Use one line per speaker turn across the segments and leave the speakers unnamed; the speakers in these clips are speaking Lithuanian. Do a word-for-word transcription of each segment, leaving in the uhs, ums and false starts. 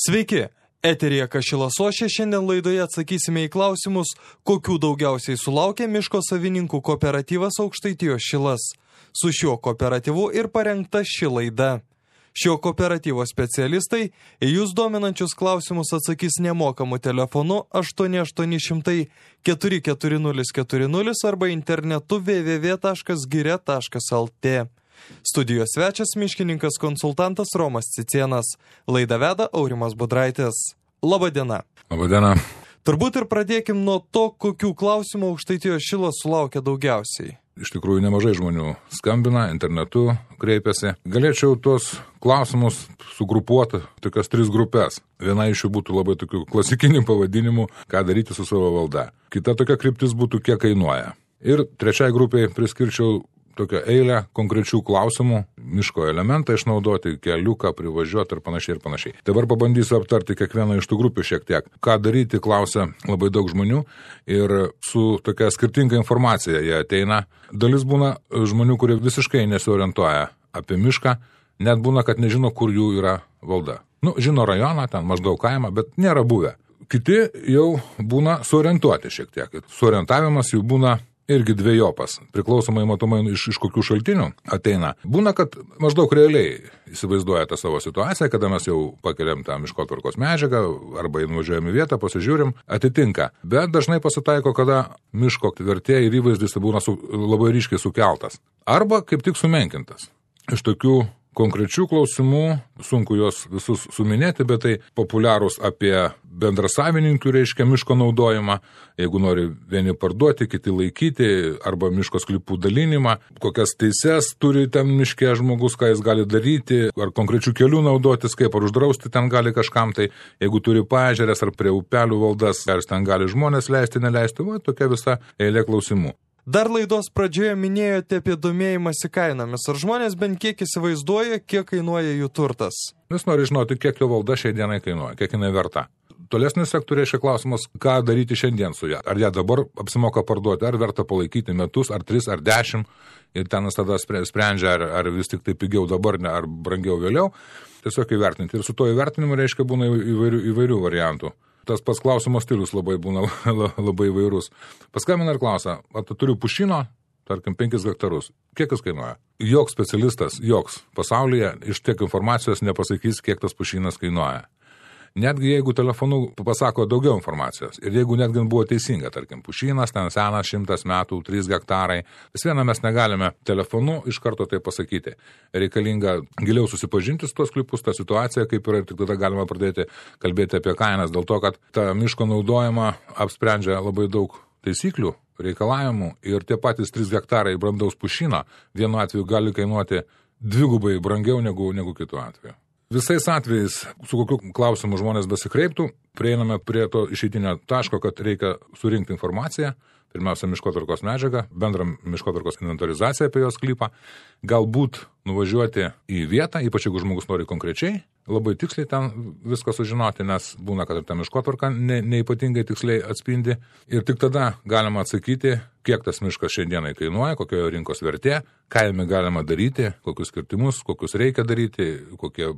Sveiki, eteryje Kašilas Ošė, šiandien laidoje atsakysime į klausimus, kokių daugiausiai sulaukia miško savininkų kooperatyvas Aukštaitijos Šilas. Su šiuo kooperatyvu ir parengta ši laida. Šio kooperatyvo specialistai į jūs dominančius klausimus atsakys nemokamu telefonu aštuoni aštuoni šimtai keturi keturi nulis keturi nulis arba internetu w w w taškas giria taškas l t. Studijos svečias miškininkas konsultantas Romas Cicėnas. Laidą veda Aurimas Budraitis. Labadiena.
Labadiena.
Turbūt ir pradėkim nuo to, kokių klausimų Aukštaitijos Šilas sulaukia daugiausiai.
Iš tikrųjų, nemažai žmonių skambina, internetu kreipiasi. Galėčiau tuos klausimus sugrupuoti tokias tris grupės. Viena iš jų būtų labai tokių klasikinių pavadinimų, ką daryti su savo valda. Kita tokia kryptis būtų, kiek kainuoja. Ir trečiai grupiai priskirčiau tokią eilę konkrečių klausimų, miško elementą išnaudoti, keliuką privažiuoti ir panašiai ir panašiai. Dabar pabandysiu aptarti kiekvieną iš tų grupių šiek tiek. Ką daryti, klausia labai daug žmonių ir su tokia skirtinga informacija jie ateina. Dalis būna žmonių, kurie visiškai nesiorientuoja apie mišką, net būna, kad nežino, kur jų yra valda. Nu, žino rajoną, ten maždaug kaimą, bet nėra buvę. Kiti jau būna suorientuoti šiek tiek. Suorientavimas jų būna irgi dviejopas, priklausomai matomai iš, iš kokių šaltinių ateina. Būna, kad maždaug realiai įsivaizduoja tą savo situaciją, kada mes jau pakeliam tą miškotvarkos medžiagą arba nuvažiuojam į vietą, pasižiūrim, atitinka. Bet dažnai pasitaiko, kada miško vertė ir įvaizdis būna su, labai ryškiai sukeltas. Arba kaip tik sumenkintas. Iš tokių konkrečių klausimų, sunku juos visus suminėti, bet tai populiarūs apie bendrasavininkių, reiškia, miško naudojimą, jeigu nori vieni parduoti, kiti laikyti, arba miško sklypų dalinimą, kokias teises turi ten miške žmogus, ką jis gali daryti, ar konkrečių kelių naudotis, kaip ar uždrausti ten gali kažkam, tai jeigu turi paežerės ar prie upelių valdas, ar ten gali žmonės leisti, neleisti, va, tokia visa eilė klausimų.
Dar laidos pradžioje minėjote apie domėjimąsi kainomis. Ar žmonės bent kiek įsivaizduoja, kiek kainuoja jų turtas?
Jis nori žinoti, kiek jo valda šiai dienai kainuoja, kiek jinai verta. Tolesnis sektoriai reiškia klausimas, ką daryti šiandien su ją. Ar ją dabar apsimoka parduoti, ar verta palaikyti metus, ar tris, ar dešimt, ir ten jis tada sprendžia, ar, ar vis tik tai pigiau dabar, ne, ar brangiau vėliau. Tiesiog įvertinti. Ir su to įvertinimu reiškia būna įvairių, įvairių variantų. Tas pats klausimo stilius labai būna labai įvairus. Paskambina ir klausia, ar tu turiu pušyno, tarkim, penkis hektarus. Kiek jis kainuoja? Joks specialistas, joks pasaulyje iš tiek informacijos nepasakys, kiek tas pušynas kainuoja. Netgi jeigu telefonu pasako daugiau informacijos ir jeigu netgi buvo teisinga, tarkim, pušynas, ten senas šimtas metų, trys hektarai, vis viena mes negalime telefonu iš karto tai pasakyti. Reikalinga giliau susipažinti su tos klipus, tą situaciją, kaip yra, ir tik tada galima pradėti kalbėti apie kainas, dėl to, kad tą miško naudojimą apsprendžia labai daug taisyklių, reikalavimų ir tie patys trys hektarai brandaus pušyno vienu atveju gali kainuoti dvigubai brangiau negu, negu kitu atveju. Visais atvejais, su kokiu klausimu žmonės besikreiptų, prieiname prie to išeitinio taško, kad reikia surinkti informaciją, pirmiausia, miškotvarkos medžiagą, bendrą miškotvarkos inventorizaciją apie jos sklypą, galbūt nuvažiuoti į vietą, ypač jeigu žmogus nori konkrečiai, labai tiksliai ten viską sužinoti, nes būna, kad ir ta miškotvarka ne, neipatingai tiksliai atspindi. Ir tik tada galima atsakyti, kiek tas miškas šiandienai kainuoja, kokioje rinkos vertė, ką jame galima daryti, kokius kirtimus, kokius reikia daryti, kokie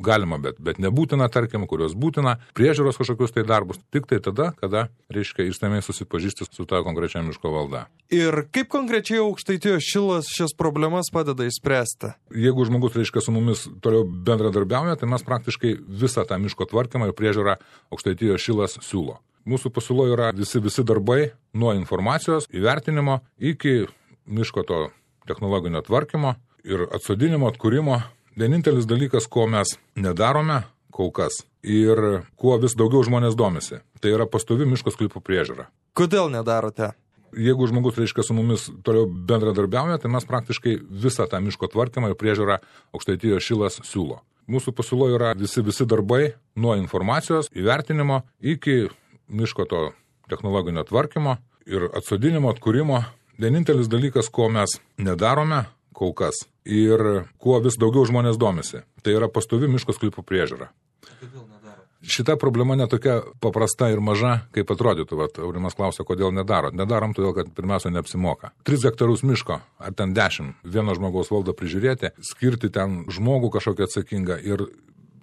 galima, bet, bet nebūtina, tarkim, kurios būtina, priežiūros kažkokius tai darbus, tik tai tada, kada, reiškia, išsamiai susipažįsti su ta konkrečia miško valda.
Ir kaip konkrečiai Aukštaitijos Šilas šias problemas padeda išspręsti?
Jeigu žmogus, reiškia, su mumis toliau bendradarbiauja, tai mes praktiškai visą tą miško tvarkymą ir priežiūrą Aukštaitijos Šilas siūlo. Mūsų pasiūlo yra visi, visi darbai nuo informacijos įvertinimo iki miško to technologinio tvarkymo ir atsodinimo, atkūrimo. Vienintelis dalykas, ko mes nedarome kol kas ir kuo vis daugiau žmonės domisi, tai yra pastovi miško sklypų priežiūra.
Kodėl nedarote?
Jeigu žmogus, reiškia, su mumis toliau bendradarbiauja, tai mes praktiškai visą tą miško tvarkymą ir priežiūrą Aukštaitijos Šilas siūlo. Mūsų pasiūlo yra visi, visi darbai nuo informacijos įvertinimo iki miško to technologinio tvarkymo ir atsodinimo, atkūrimo. Vienintelis dalykas, ko mes nedarome kol kas ir kuo vis daugiau žmonės domisi, tai yra pastovi miško sklypų priežiūra.
Kodėl nedaro?
Šita problema netokia paprasta ir maža, kaip atrodytų. Vat, Aurimas klausia, kodėl nedarot. Nedarom todėl, kad pirmiausia neapsimoka. Tris hektarus miško, ar ten dešimt, vieno žmogaus valdą prižiūrėti, skirti ten žmogų kažkokią atsakingą ir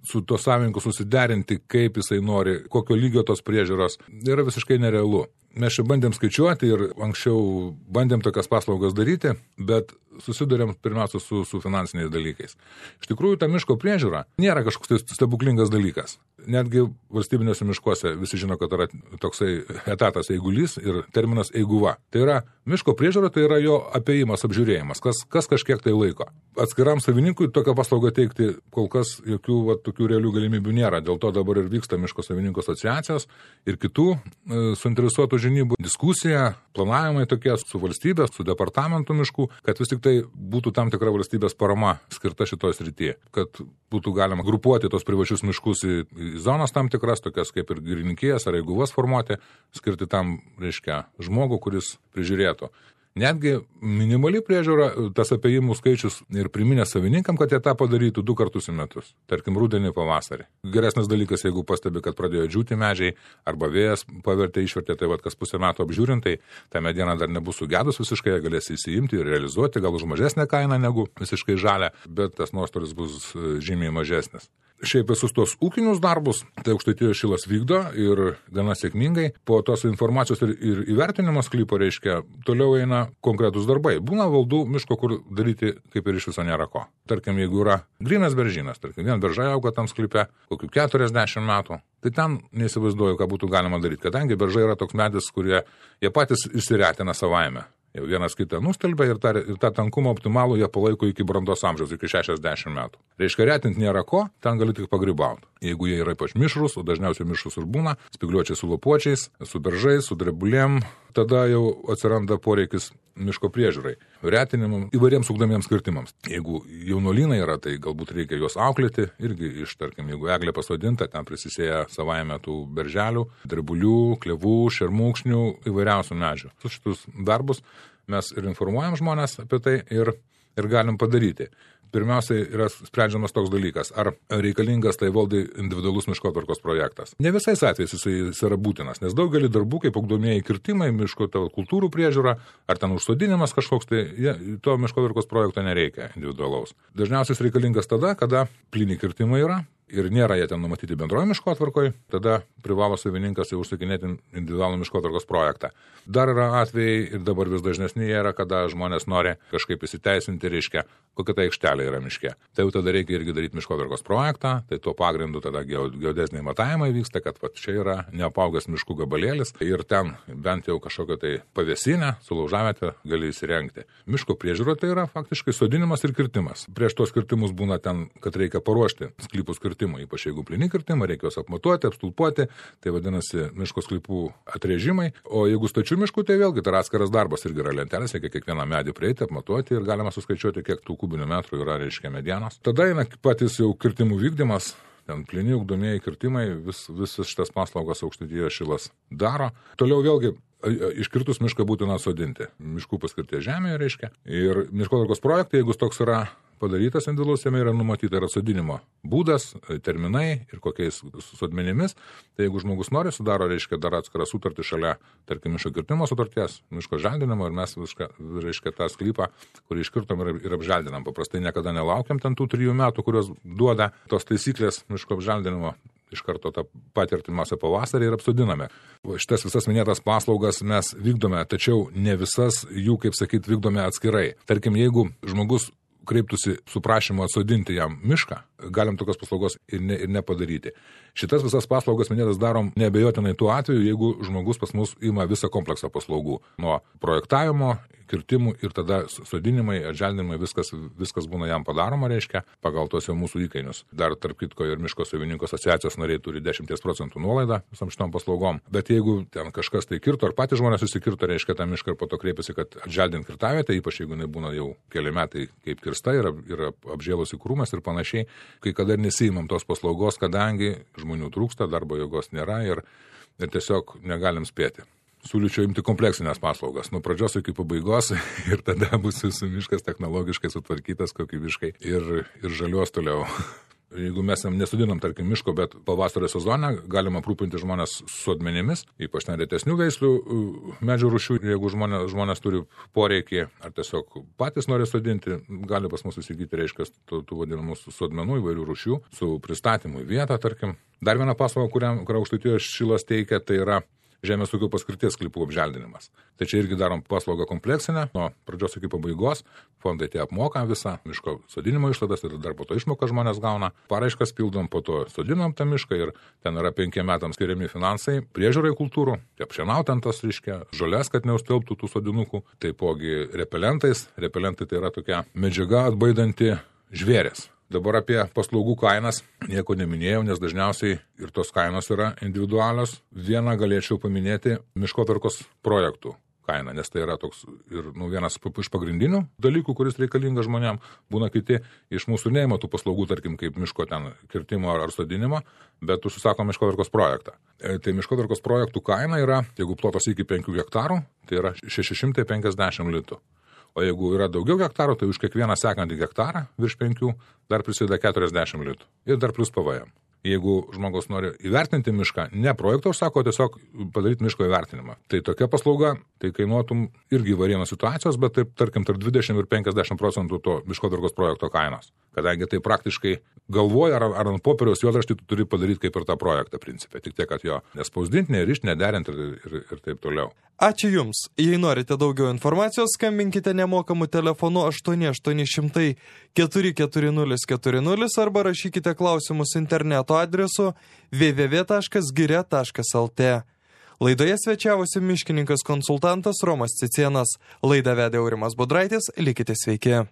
su to savininku susiderinti, kaip jisai nori, kokio lygio tos priežiūros, yra visiškai nerealu. Mes čia bandėm skaičiuoti ir anksčiau bandėm tokias paslaugas daryti, bet susidurėm pirmiausia su, su finansiniais dalykais. Iš tikrųjų, ta miško priežiūra nėra kažkoks tai stebuklingas dalykas. Netgi valstybiniuose miškuose visi žino, kad yra toksai etatas eigulys ir terminas eiguva. Tai yra miško priežiūra, tai yra jo apėjimas, apžiūrėjimas, kas, kas kažkiek tai laiko. Atskiram savininkui tokią paslaugą teikti kol kas jokių va, tokių realių galimybių nėra. Dėl to dabar ir vyksta miško savininkų asociacijos ir kitų e, suinteresuotų žinybų diskusija, planavimai tokie su valstybės, su departamentu miškų, kad vis tik tai būtų tam tikra valstybės parama skirta šitoj srityje, kad būtų galima grupuoti tos privačius miškus į, į zonas tam tikras, tokias kaip ir girininkijas ar eiguvas formuoti, skirti tam, reiškia, žmogų, kuris prižiūrėtų. Netgi minimali priežiūra, tas apėjimų skaičius ir priminės savininkam, kad jie tą padarytų du kartus į metus. Tarkim, rudenį, pavasarį. Geresnis dalykas, jeigu pastebi, kad pradėjo džiūti medžiai arba vėjas pavertė, išvertė, tai vad kas pusę metų apžiūrintai, ta mediena dar nebus sugedus visiškai, jie galės įsiimti ir realizuoti, gal už mažesnę kainą negu visiškai žalia, bet tas nuostolis bus žymiai mažesnis. Šiaip visus tos ūkinius darbus, tai Aukštaitijos šilas vykdo ir gana sėkmingai. Po tos informacijos ir, ir įvertinimo sklypo, reiškia, toliau eina konkretus darbai. Būna valdų miško, kur daryti kaip ir iš viso nėra ko. Tarkim, jeigu yra grynas beržynas, tarkim, vien beržai auga tam sklype, kokių keturiasdešimt metų, tai ten neįsivaizduoju, ką būtų galima daryti, kadangi beržai yra toks medis, kurie jie patys išsiretina savaime. Jau vienas kitą nustelbia ir tą, ir tą tankumą optimalų jie palaiko iki brandos amžiaus, iki šešiasdešimt metų. Reiškia, retinti nėra ko, ten gali tik pagrybauti. Jeigu jie yra ypač mišrus, o dažniausiai mišrus ir būna, spygliuočiai su lapuočiais, su beržais, su drebulėm, tada jau atsiranda poreikis miško priežiūrai, retinimam, įvairiems ugdomiems kirtimams. Jeigu jaunuolynai yra, tai galbūt reikia juos auklėti, irgi iš, tarkim, jeigu eglė pasodinta, ten prisisėja savaime tų berželių, drebulių, klevų, šermūkšnių, įvairiausių medžių. Su šitus darbus mes ir informuojam žmonės apie tai ir, ir galim padaryti. Pirmiausiai yra sprendžiamas toks dalykas, ar reikalingas tai valdai individualus miškotvarkos projektas. Ne visais atvejais jisai, jis yra būtinas, nes daugelį darbų, kaip ugdomieji kirtimai, miško kultūrų priežiūra, ar ten užsodinimas kažkoks, tai ja, to miškotvarkos projekto nereikia individualaus. Dažniausiai jis reikalingas tada, kada plyni kirtimai yra ir nėra jie ten numatyti bendroje miškotvarkoje, tada privalo savininkas jau užsakinėti individualų miškotvarkos projektą. Dar yra atvejai ir dabar vis dažnesni yra, kada žmonės nori kažkaip įsiteisinti, reiškia, kokia ta aikštelė yra miške. Tai jau tada reikia irgi daryti miškotvarkos projektą, tai tuo pagrindu tada geodeziniai matavimai vyksta, kad va, čia yra neapaugęs miškų gabalėlis ir ten bent jau kažkokią tai pavėsinę, sulaužavietę gali įsirengti. Miško priežiūra tai yra faktiškai sodinimas ir kirtimas. Prieš tos kirtimus būna ten, kad reikia paruošti sklypus kirtimų, ypač jeigu plyni kirtimai, reikia juos apmatuoti, apstulpuoti, tai vadinasi miško sklypų atrėžimai, o jeigu stačių miškų, tai vėlgi tai atskiras darbas irgi yra lentelės, reikia kiekvieną medį prieiti, apmatuoti ir galima suskaičiuoti, kiek tų kubinių metrų yra, reiškia, medienos. Tada eina patys jau kirtimų vykdymas, ten plyni ugdomieji kirtimai, vis, visas šitas paslaugas Aukštaitijos šilas daro. Toliau vėlgi iškirtus mišką būtina sodinti. Miškų paskirties žemėje, reiškia. Ir miškotvarkos projektai, jeigu toks yra padarytas individualus, jame yra numatyta yra sodinimo būdas, terminai ir kokiais sodmenimis. Tai jeigu žmogus nori, sudaro, reiškia, dar atskirą sutartį šalia, tarkim, miško kirtimo sutarties, miško želdinimo ir mes, viską, reiškia, tą sklypą, kurį iškirtom ir, ir apželdinam. Paprastai niekada nelaukiam ten tų trijų metų, kurios duoda tos taisyklės miško apželdinimo. Iš karto tą patirtimąsią pavasarį ir apsodiname. Šitas visas minėtas paslaugas mes vykdome, tačiau ne visas jų, kaip sakyt, vykdome atskirai. Tarkim, jeigu žmogus kreiptųsi su prašymu atsodinti jam mišką, galim tokios paslaugos ir, ne, ir nepadaryti. Šitas visas paslaugas minėtas darom neabejotinai tuo atveju, jeigu žmogus pas mus ima visą kompleksą paslaugų. Nuo projektavimo, kirtimų ir tada sodinimai, atželdinimai, viskas, viskas būna jam padaroma, reiškia, pagal tos jau mūsų įkainius. Dar tarp kitko ir miško savininkų asociacijos nariai turi dešimt procentų nuolaidą visam šitom paslaugom. Bet jeigu ten kažkas tai kirto, ar patys žmonės susikirto, reiškia, tą mišką ir po to kreipiasi, kad atželdint kirtavietę, ypač jeigu jinai būna jau keli metai kaip kirsta, yra, yra apžėlusi krūmas ir panašiai, kai kada ir nesiimam tos paslaugos, kadangi žmonių trūksta, darbo jėgos nėra ir, ir tiesiog negalim spėti. Siūlyčiau imti kompleksinės paslaugas, nuo pradžios iki pabaigos ir tada bus jūsų miškas technologiškai sutvarkytas, kokybiškai ir, ir žaliuos toliau. Jeigu mes nesodinam, tarkim, miško, bet pavasario sezone galima aprūpinti žmonės sodmenimis, ypač neretesnių veislių medžių rūšių, jeigu žmonės, žmonės turi poreikį, ar tiesiog patys nori sodinti, gali pas mus įsigyti, reiškia, tų, tų vadinamų sodmenų įvairių rūšių, su pristatymu į vietą, tarkim. Dar viena paslauga, kurią, kurią Aukštaitijos Šilas teikia, tai yra žemės ūkio paskirties sklypų apželdinimas. Tai čia irgi darom paslaugą kompleksinę, nuo pradžios iki pabaigos, fondai tie apmoka visą miško sodinimo išlaidas ir dar po to išmoką žmonės gauna. Paraiškas pildom, po to sodinam tą mišką ir ten yra penkiem metams skiriami finansai priežiūrai kultūrų, apšienaut ant tas, reiškia, žolės, kad neustelbtų tų sodinukų, taipogi repelentais. Repelentai tai yra tokia medžiaga atbaidanti žvėrės. Dabar apie paslaugų kainas nieko neminėjau, nes dažniausiai ir tos kainos yra individualios. Vieną galėčiau paminėti miškotvarkos projektų kainą, nes tai yra toks ir nu, vienas iš pagrindinių dalykų, kuris reikalingas žmonėm. Būna kiti iš mūsų neima tų paslaugų, tarkim, kaip miško ten kirtimo ar sodinimo, bet užsisako miškotvarkos projektą. E, tai miškotvarkos projektų kaina yra, jeigu plotas iki penkių hektarų, tai yra šeši šimtai penkiasdešimt litų. O jeigu yra daugiau hektarų, tai už kiekvieną sekantį hektarą virš penkių dar prisideda keturiasdešimt litų. Ir dar plus P V M. Jeigu žmogus nori įvertinti mišką, ne projektą užsako, tiesiog padaryti miško įvertinimą. Tai tokia paslauga, tai kainuotum irgi varienos situacijos, bet taip, tarkim, tarp dvidešimt ir penkiasdešimt procentų to miškotvarkos projekto kainos. Kadangi tai praktiškai galvoja ar, ar ant popieriaus juodraštį tu turi padaryti kaip ir tą projektą principė. Tik tiek, kad jo nespausdinti, nerišti, nederinti ir, ir, ir taip toliau.
Ačiū Jums. Jei norite daugiau informacijos, skambinkite nemokamu telefonu aštuoni aštuoni šimtai keturi keturi nulis keturi nulis arba rašykite klausimus interneto adresu w w w taškas giria taškas l t. Laidoje svečiavosi miškininkas konsultantas Romas Cicėnas. Laidą vedė Aurimas Budraitis. Likite sveiki.